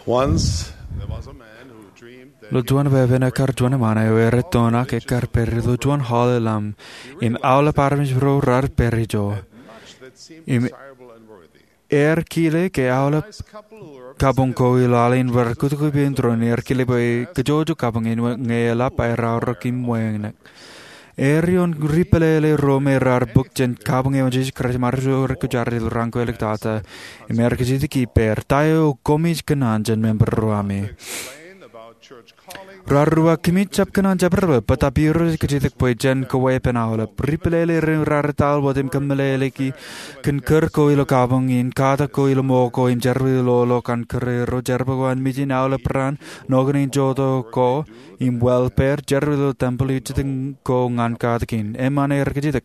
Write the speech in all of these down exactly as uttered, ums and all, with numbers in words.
Once there was a man who dreamed that Ilo juon pepe eṇ ekkar juon eṃṃan eo erettonak ekkar pād ilo juon hall eo ḷam im aolep armej ro raar pād ijo. Im ear kile ke aolep kabuñ ko ilo al in bar kōtke ippān tōre in, ear kile bwe kōjwōjwōj kabuñ in ñe eḷap aer aorōk im wānōk. Ear ioon ri pālele ro me raar bōk jān kabuñ eo an Jisōs Kraist im armej ro rekwōjarjar ilo raan ko āliktata, im ear kajjitōk ippāer, ta eo koṃij kōṇaan jān member ro ami? Raar uwaak, kōmij jab kōṇaan jabdewōt, bōtab Irooj ej kajjitōk bwe jen kōweeppān aolep. Ri pālele ro raar etal wōt im kōmeḷeḷeiki kōn kūr ko ilo kabuñ in, katak ko ilo ṃōko im jerbal ilo loḷọk an kūr ro, jerbal ko an mijin aolep raan, nokne in jotok ko, im welfare, jerbal ilo tempel, ijjitōñ ko ñan katak in. Eṃṃan ear kajjitōk.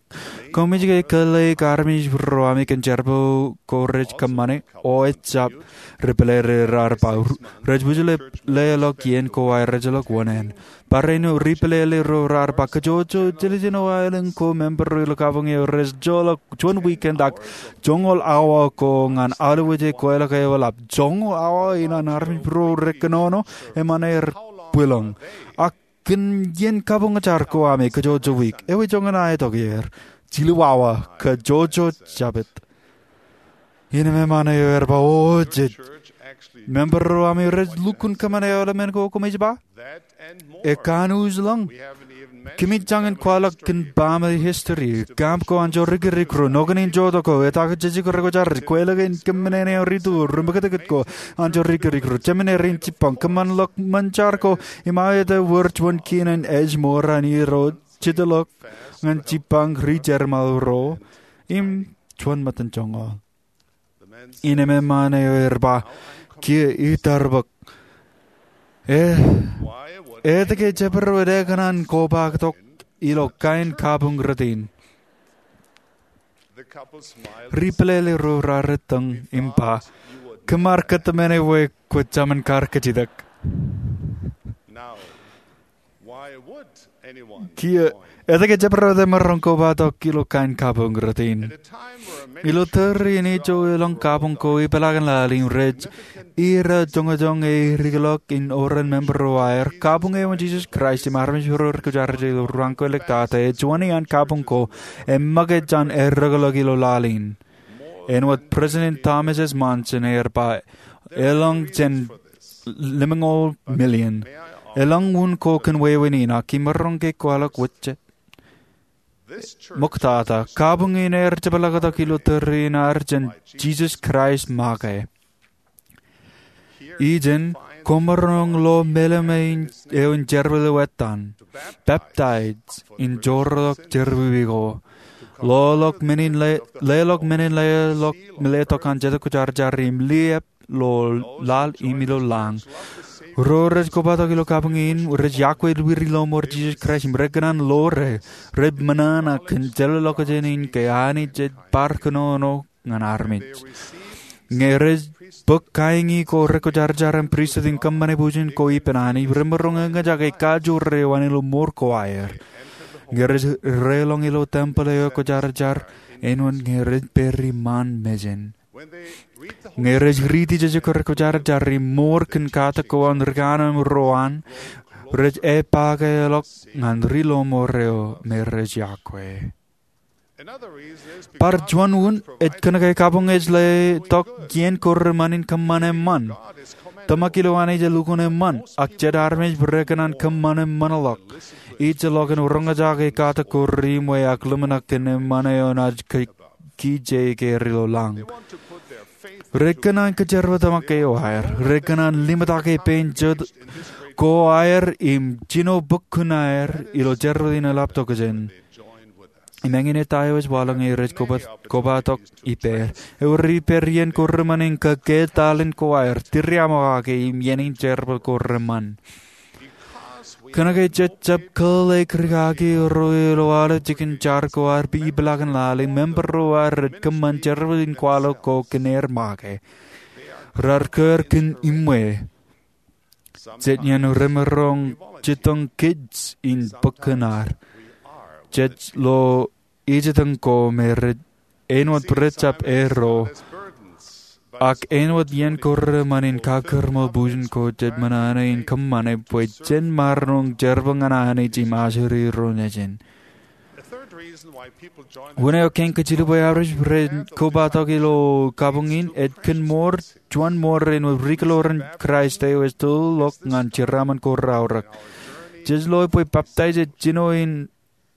Koṃij ke kōḷḷāik armej ro ami kōn jerbal ko rej kōṃṃane? O ejjab, ri pālele raar ba. Rej wūjlepḷọk iien ko aer, ejjeḷọk wōṇāān. Barāinwōt ri pālele ro raar ba, kōjwōjwōj, jiljino aelōñ ko member ro ilo kabuñ eo rej joḷọk juon weekend ak joñoul awa ko ñan aolep wōj e kweilọk eo eḷap. Joñoul awa in an armej ro rekōnono? Eṃṃan ear bwilōñ. Ak kōn iien kabuñjar ko ami, kōjwōjwōj wiik. Ewi joñan aetok er? Jilu awa. Kōjwōjwōj jabōt. Innem eṃṃan eo ear ba, o jej. Member ro ami rej lukkuun kōṃṃane aolep men ko koṃij ba? Ekanooj ḷọk. Kōmij jañin kwaḷọk kōn baaṃle history. Camp ko anjọ rikirik ro, nokne in jotok ko, etak jejjek rekwōjarjar, kweilọk in kōmmenin eo ri tuko, ri ṃōkōtkōt ko anjọ rikirik ro, jemān erin jibbañ, kōṃṃan ḷọk ṃōn jar ko, im aō ete wōr juon kien in ej ṃoran Irooj, jitōḷọk ñan jibbañ ri jerbal ro, im juon ṃōttan joñoul. Innem eṃṃan eo ear ba, kiiō itarpōk. E, etke jabdewōt ekōṇaan kobatok ilo kain kabuñ rot in? Ri pālele ro raar ettōñ im ba, kōm ar kōtmāne bwe kwō jemān kar kajjitōk. Kiiō, etke jabdewōt emaroñ kobatok ilo kain kabuñ rot in? Ilo tōre in ijo elōñ kabuñ ko ipeḷaakin laḷ in rej ira joñoul joñoul e irikḷọk in oran member ro aer, kabuñ eo an Jisōs Kraist im armej ro rekwōjarjar ilo raan ko āliktata ej juon iaan kabuñ ko eṃṃakūt jān errōkḷọk ilo laḷ in. Āinwōt President Thomas S. Monson ear ba, elōñ jān ḷimñoul million. Elōñ wūn ko kōn wāween in, ak imaroñ ke kwaḷọk wōt jet. Ṃoktata, kabuñ in ear jepḷaaktok ilo tōre in ad jān Jisōs Kraist make. Ijin, koṃaroñ lo meḷeḷe eo in jerbal eo ettan, peptaij, in joorḷọk jerọwiwi ko, leḷọk men in le-, leḷọk men in leḷọk, letok an Jetōb Kwōjarjar im liab ilo laḷ im ilo lañ. Ro rej kobatok ilo kabuñ in rej iakwe wūri ḷoṃor Jisōs Kraist im rekōṇaan ḷoore, rej ṃōṇōṇō kōn jeḷāḷọkjeṇ in ke Anij ej bar kōnono ñan armej. Ñe rej bōk kain ko rekwōjarjar im pristut im kōṃṃane bwijin ko ippān Anij, remaroñ eñjake kajoor eo an ilo mour ko aer. Ñe rej reḷọñ ilo tempel eo kwōjarjar, āinwōt ñe rej pād iṃaan mejān. Ñe rej riiti jejjek ko rekwōjarjar im mour kōn katak ko an ri kanaan ro an, rej epaake ḷọk ñan ri ḷoṃor eo me rej iakwe. Bar juon wūn ej kōnke kabuñ ej letok iien ko reṃṃan in kōṃṃan eṃṃan. Tōmak ilo Anij elukkuun eṃṃan, ak jet armej rekōṇaan kōṃṃan eṃṃanḷọk. Ij ḷọk in roñjake katak ko ri ṃwe ak ḷōmṇak kōn eṃṃan eo naaj ke-, kije keer ilo lañ. Rekōṇaan kōjerbal tōmak eo aer. Rekōṇaan limtake pein jet ko aer im jino bōk kuṇaer ilo jerbal in eḷap tokjān. Im eñin eta eo ej waḷọk ñe rej koba-, kobatok ippāer. Ewōr ippāer iien ko reṃṃan in kōkketak alen ko aer, tūriaṃo kake im iien in jerbal ko reṃṃan. Kōnke jej jab kōḷḷāik ri kaki ro ilo aolep jikin jar ko ad ipeḷaakin laḷ in, member ro aer rej kōṃṃan jerbal in kwaḷọk ko kōn er make. Raar kōr kōn iṃwe. Jet iien remaroñ jitōñ kōj in bōk kuṇaar. Jej lo ijitōñ ko me rej, āinwōt rej jab erro. Ak āinwōt iien ko reṃṃan in kakūrṃo bujen ko, jej ṃōṇōṇō in kōṃṃane bwe jen maroñ jerbal ñan Anij im ajri ro nejin. Wōn eo kein kajjitōk bwe armej rej kobatok ilo kabuñ in, ej kōn ṃool, juon ṃool rein ri kōḷoran Kraist eo ej tōl ḷọk ñan jeraaṃṃan ko raorōk. Jej loe bwe peptaij ej jino in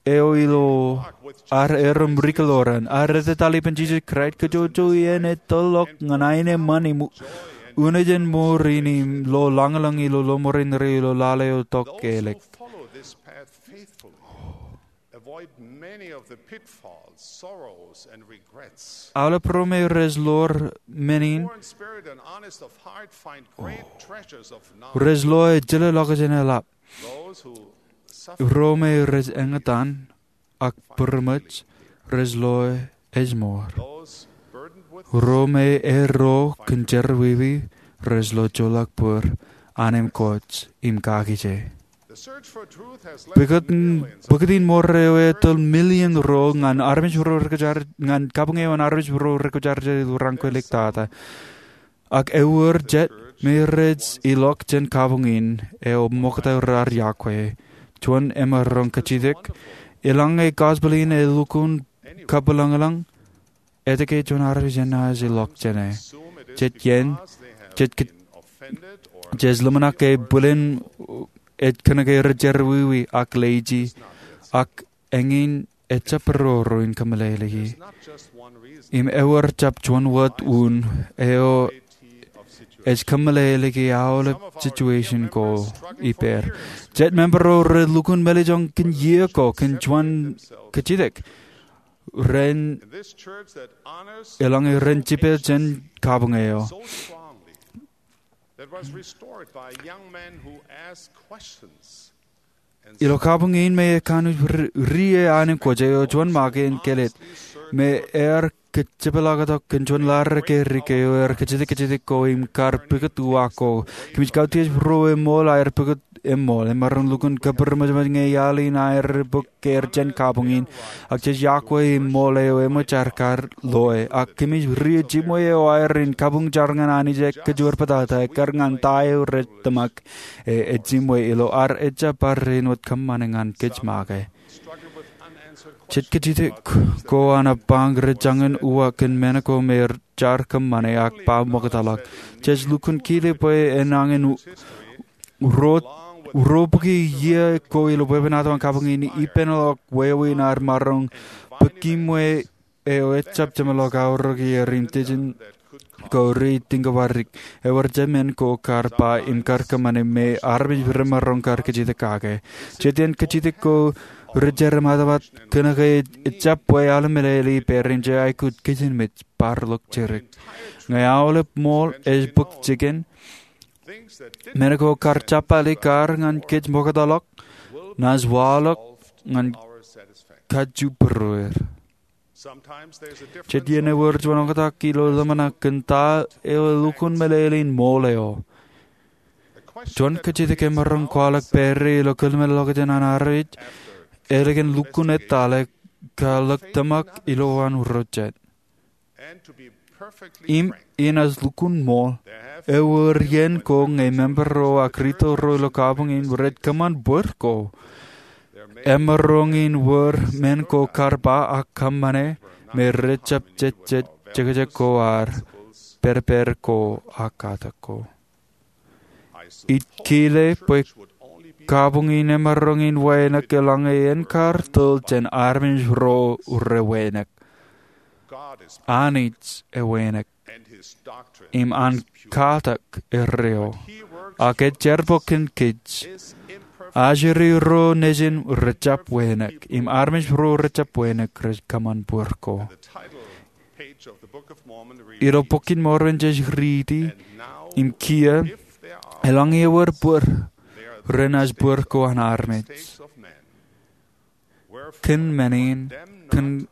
eo ilo ad erom ri kōḷoran. Ad etetal ippān Jisōs Kraist, kōjojoi eṇ ej tōl ḷọk ñan aenōṃṃan im unin ṃool in im lo lañlōñ ilo lọmọọr in ilo lale eo tok elōñ. Aolep ro me rej ḷoor men in, rej loe jilōḷọkjeṇ eḷap. Ro me rej eñtaan ak būrṃōj rej loe ej ṃool. Ro me erro kōn jerọwiwi rej lo joḷọk bōd, anemkwōj im kakije. Bōkōt in ṃool eo etōl million ro ñan armej ro rekwōjarjar, ñan kabuñ eo an armej ro rekwōjarjar ilo raan ko iliktata. Ak ewōr jet me rej ilọk jān kabuñ in eo ṃokta raar yokwe. Juon emaroñ kajjitōk, eḷaññe gospel in elukkuun kabwilōñlōñ, etke juon armej enaaj ilọk jāne? Jet iien, jej ke-, jej ḷōmṇak ke bwilin ej kōnke rej jerọwiwi ak lazy, ak eñin ejjab roro in kōmeḷeḷeiki. Im ewōr jab juon wōt un eo ej kōmeḷeḷeiki aolep situation ko ippāer. Jet member ro relukkuun meḷeḷein kōn iiō ko kōn juon kajjitōk ren, eḷaññe ren jipel jān kabuñ eo. Ilo kabuñ in me ekanooj ri-, rie anemkwōj eo juon make en kelōt, me ear kōjepḷaaktok kōn juon laḷ ke ri ke eo ear kajjitōk kajjitōk ko im kar pukot uwaak ko. Kōmij kautiej ro eṃool aer pukot eṃool. Emaroñ lukkuun kabūrṃōjṃōj ñe iaḷ in aer bōk keer jān kabuñ in, ak jej yokwe im ṃool eo eṃōj aer kar loe. Ak kōmij rie jiṃwe eo aer in kabuñ jar ñan Anij ekkar juon bōtata, ekkar ñan ta eo rej tōmak, e, ej jiṃwe ilo ad ejjab bar āinwōt kōṃṃane ñan kōj make. Jet kajjitōk ko an ebañ rej jañin uwaak kōn men ko me jar kōṃṃane ak ba ṃoktaḷọk. Jej lukkuun kile bwe enañin u-, ro-, ruo bukwi iiō ko ilo bwebwenato an kabuñ in ippān ḷọk wāween ad maroñ bōk kiṃwe eo ejjab jeṃḷọk aorōk er im tijin ko rej tiñkabwārik. Ewōr jemān ko kar ba im kar kōṃṃane me armej remaroñ kar kajjitōk kake. Jet iien kajjitōk ko rej jerem atomat kōnke ejjab bwe aḷ meḷeḷe ippāer im jej aikuj kijenmej bar ḷọk jidik. Ñe aolep ṃool ej bōk jikin, men ko kar jab alikkar ñan kōj ṃoktaḷọk, naaj waḷọk ñan kajju būrueir. Jet iien ewōr juon oktak ilo ḷōmṇak kōn ta eo elukkuun meḷeḷein ṃool eo. Juon kajjitōk emaroñ kwaḷọk pād ie ilo kōḷmānḷọkjeṇ an armej, ālikin lukkuun ettale, kwaḷọk tōmak ilowaan ro jet. Im inaaj lukkuun ṃool, ewōr iien ko ñe member ro ak rito ro ilo kabuñ in rej kōṃṃan bōd ko. Emaroñ in wōr men ko kar ba ak kōṃṃane me rejjab jejjet jekjek ko ad, pād pād ko ak katak ko. Ij kile bwe kabuñ in emaroñ in wānōk eḷaññe en kar tōl jān armej ro rewānōk. Anij ewānōk, im an katak erreo, ak ej jerbal kōn kōj. Ajri ro nejin rejjab wānōk, im armej ro rejjab wānōk rej kōṃṃan bōd ko. Ilo Bok in Mormon jej riiti, im kiiō, eḷaññe ewōr bōd, renaaj bōd ko an armej. Kōn men in, kōn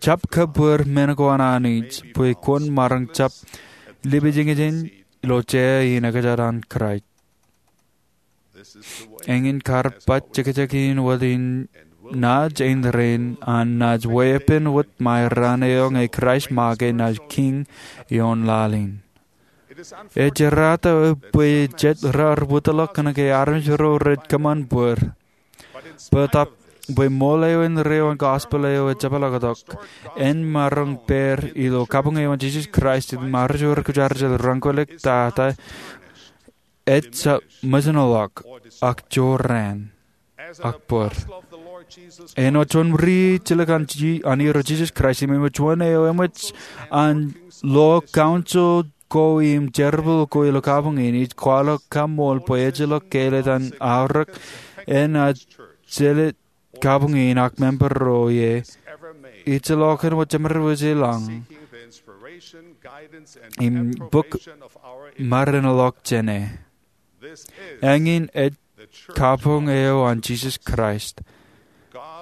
jab kōbōd men ko an Anij, bwe kwōn maroñ jab lipejñejeṇ ilo jea in ekjān an Kraist. Eñin kar baj jekjek in wōt in naaj āindein an naaj weeppān wōt ṃae raan eo ñe Kraist make naaj kiiñ ioon laḷ in. Ej jerata bwe jet raar wōtlọk kōnke armej ro rej kōṃṃan bōd. Bōtab bwe ṃool eo indeeo an gospel eo ejepḷaaktok, en maroñ pād ilo kabuñ eo an Jisōs Kraist im armej ro rekujarjar rein kwōlōktata, ej jab ṃōjṇọḷọk ak jorrāān ak bōd. Āinwōt juon ri jilkinḷọk an Irooj Jisōs Kraist im āinwōt juon eo eṃōj an lo council ko im jerbal ko ilo kabuñ in, ij kwaḷọk kaṃṃool bwe ejjeḷọk kāālōt an aorōk eṇ ej jelōt kabuñ in ak member ro ie, ejjeḷọk āinwōt jemed wōj ilañ im bōk maroñḷọk jāne. Eñin ej kabuñ eo an Jisōs Kraist.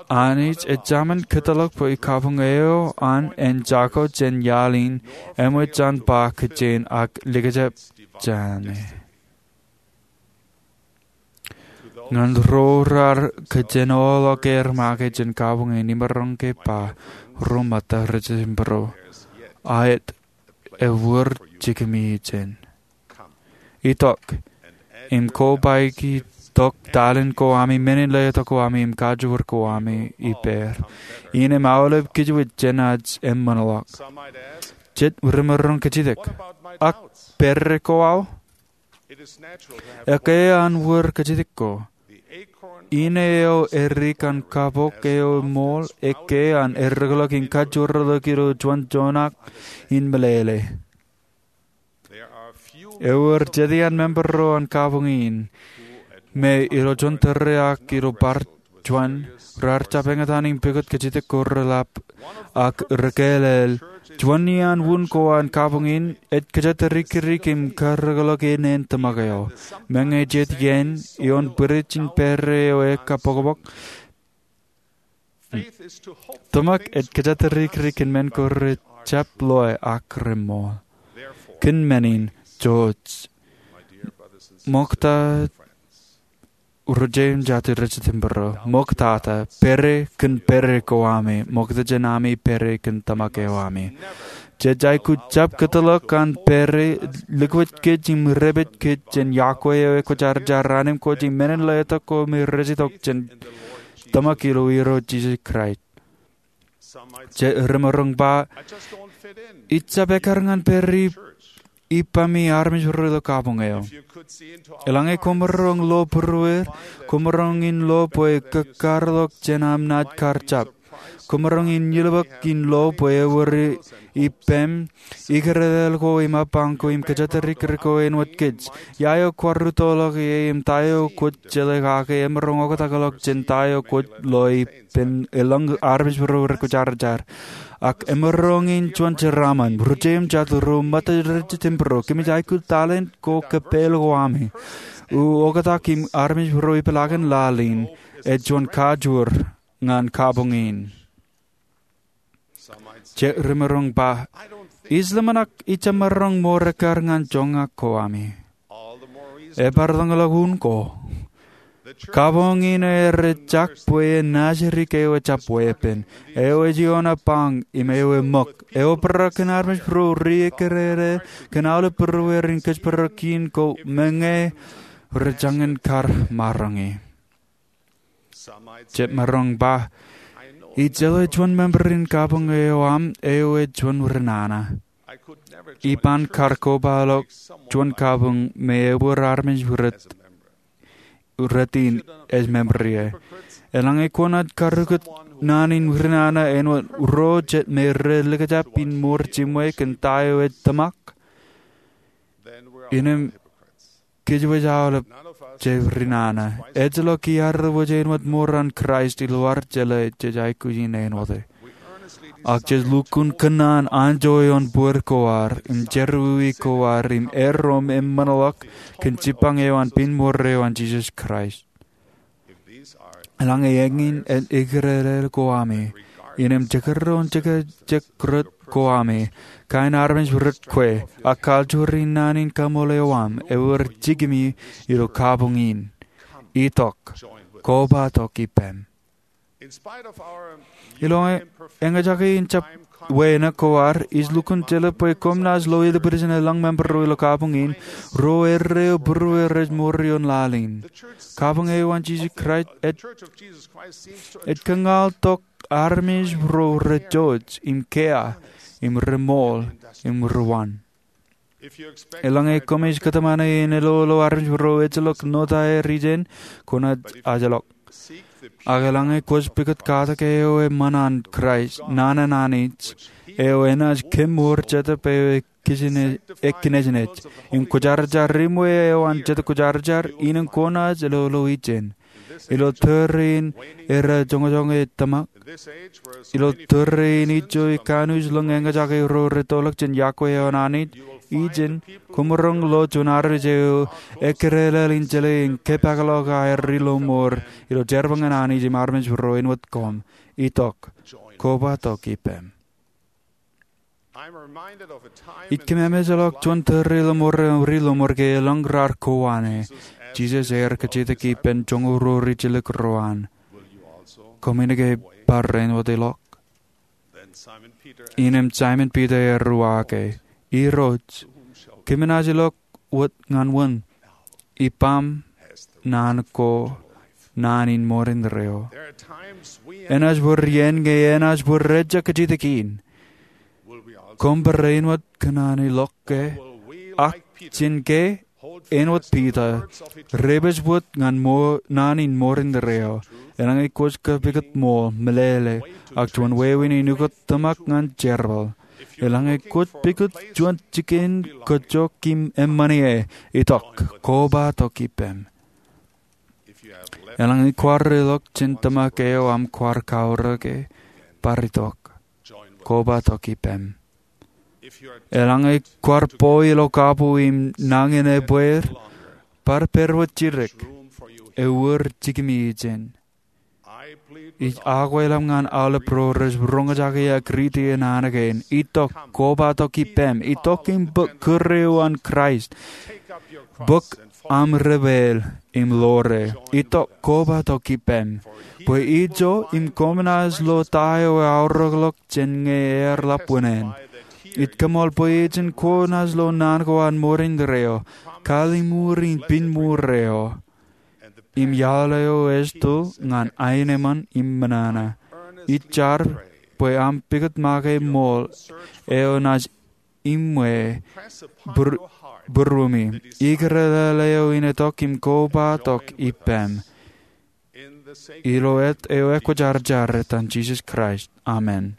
Anij ej jaṃin kōtḷọk bwe kabuñ eo an en jako jān iaḷ in eṃōj an ba kōjein ak likjab jāne. Ñan ro raar kōjenoḷọk aer make jān kabuñ in, imaroñ ke ba ro ṃōtta rej jitōmbro, aet, ewōr jikimi jān. Itok im kobaiki tok talent ko ami, menin letok ko ami im kajoor ko ami ippāer, innām aolep kōjwōj jān aj eṃṃanḷọk. Jet rimaroñ kajjitōk, ak pere ko aō? Ekkā an wōr kajjitōk ko. Ine eo edik an kapok eo ṃool ekkā an erreḷọk im kajoorḷọk ilo juon joñak in meḷeḷe. Ewōr jet iaan member ro an kabuñ in me ilo juon tōre ak ilo bar juon raar jab eñtaan im pukot kajjitōk ko reḷap ak rekāālōt. Juon iaan wūn ko an kabuñ in ej kōjatdikdik im karreḷọk ineen tōmak eo. Meñe jet iien ioon bwidej in pere eo ekabokbok, tōmak ej kōjatdikdik kōn men ko rejjab loe ak reṃool. Kōn men in, jouj, ṃokta ro jeiū im jatū rej jitōmbro, ṃoktata pere kōn pere ko ami ṃokta jān ami pere kōn tōmak eo ami. Jej aikuj jab kōtḷọk an pere likūt kōj im dāpij kōj jān yokwe eo ekwōjarjar, anemkwōj im menin letok ko me rej itok jān tōmak ilo Irooj Jisōs Kraist. Jet rimaroñ ba, ij jab ekkar ñan pere ippaṃ armej ro ilo kabuñ eo. Eḷaññe kwōmaroñ lo būrueir, kwōmaroñ in lo bwe kōkkareḷọk jān aṃ naaj kar jab. Kwōmaroñ in ilbōk in lo bwe ewōr ippaṃ, ikōrāāl ko im apañ ko im kōjatdikdik ko āinwōt kōj. Ia eo kwaar rūttoḷọk ie im ta eo kwōj jeḷā kake emaroñ oktakḷọk jān ta eo kwōj lo ippān elōñ armej ro rekwōjarjar. Ak emaroñ in juon jeraaṃṃan, ro jeiū im jatū, ro ṃōttan rej jitōmbro, kōmij aikuj talent ko kōppāl ko ami, u oktak im armej ro ipḷaakin laḷ in, ej juon kajoor ñan kabuñ in. Jet rimaroñ ba, ij ḷōmṇak ij jab maroñ ṃor ekkar ñan joñak ko ami. Ebar ḷōñḷọk un ko. Kabuñ in ej ejjak bwe en naajdik eo ejjab weeppān, eo ej ioon apañ im eo eṃōk, eo bōrā kōn armej ro ri ikōrāāl kōn aolep būrueir in kōjparok in ko meñe rejañin kar maroñi. Jet maroñ ba, ij jeḷā juon member in kabuñ eo aṃ eo ej juon rinana. Iban kar kobaḷọk juon kabuñ me ewōr armej rej in ej member ie. Eḷaññe kwōnaaj karrūkūt naan in rinana āinwōt ro jet me rej likjab in ṃoor jiṃwe kōn ta eo ej tōmak, innām kōjwōj aolep jej rinana. Ejjeḷọk iar wōj āinwōt ṃoran Kraist ilo ad jeḷā jej aikuj in āinwōt e. Ak jej lukkuun kōnnaan anjọ ioon bōd ko ad im jerọwiwi ko ad im erom eṃṃanḷọk kōn jipañ eo an piñmur eo an Jisōs Kraist. Eḷaññe eñin ej ikōrāāl ko ami, innām jekdọọn jekjek rot ko ami, kain armej rot kwe, ak kajoor in naan in kaṃool eo aṃ, ewōr jikimi ilo kabuñ in. Itok, kobatok ippām. Ilo eñjake in jab wānōk ko ad, ij lukkuun jelōt bwe koṃ naaj lo ilbwiljin elōñ member ro ilo kabuñ in, ro erreo būrueir rej mour ioon laḷ in. Kabuñ eo an Jisōs Kraist ej kōñaḷ tok armej ro rej jouj im kea im remool im rewōn. Eḷaññe koṃij kōtmāne in elolo armej ro ejjeḷọk ṇotaer ijin, kwōnaaj ajlọk. Ak eḷaññe kwōj pukot katak eo eṃṃan an Kraist, naan an Anij, eo enaaj kemour Jetōb eo ekinejnej, im kwōjarjar ri-ṃwe eo an Jetōb Kwōjarjar, innem kwōnaaj elolo ijin. Ilo tōre in errā joñojoñe tōmak, ilo tōre in ijo ikānuj ḷọk eñjake ro rej tōlḷọk jān yokwe eo an Anij ijin, kwōmaroñ lo juon armej eo ekkirelel in jeḷā im kōpeḷḷọk aer ri-lọmọọr ilo jerbal ñan Anij im armej ro āinwōt koṃ. Itok, koba tok ippem. Ij kememejḷọk juon tōre lọmọọr eo ri-lọmọọr ke elōñ raar kowaan e. Jisōs ear kajjitōk ippān joñoul ruo ri-jilkinḷọk ro an, "Koṃwin ke bar rein wōt ilọk?" Innem Saimōn Piter ear uwaake, "Irooj, kōmin naaj ilọk wōt ñan wōn? Ippaṃ naan ko naan in mour indeeo." Enaaj bōr iien ñe enaaj bōr rejjab kajjitōk in. Koṃ bōr rein wōt kōṇaan ilọk ke? Ak jān ke, āinwōt Piter, rej pād wōt ñan naan in mour indeeo. Eḷaññe kwōj kapikōt ṃool, meḷeḷe, ak juon wāween in ukōt tōmak ñan jerbal, eḷaññe kwōj pukot juon jikin kajjojo im eṃṃan ie, itok, koba tok ippem. Eḷaññe kwaar ilọk jān tōmak eo aṃ kwaar kaorōke, bar itok, koba tok ippem. Eḷaññe kwaar bwe ilo kabuñ im nañin ebbeer, bar pād wōt jidik. Ewōr jikimi ijin. Ij akwailaṃ ñan aolep ro rej roñjake ak riiti naan kein, itok, koba tok ippem. Itok im bōk kūr eo an Kraist. Bōk aṃ ri-pāl im ḷoor e. Itok, koba tok ippem. Bwe ijo im koṃ naaj lo ta eo eaorōkḷọk jān ñe ear ḷap wūnin. Ij kōṃṃool bwe ijin kwō naaj lo naan ko an mour indeeo, kalliṃur in piñmuur eo, im iaḷ eo ej tōl ñan aenōṃṃan im ṃōṇōṇō. Ij jar bwe aṃ pukot make ṃool eo naaj iṃwe būruemi, ikōrā eo in itok im koba tok ippem. Ilo āt eo ekwōjarjar, etan Jisōs Kraist, amen.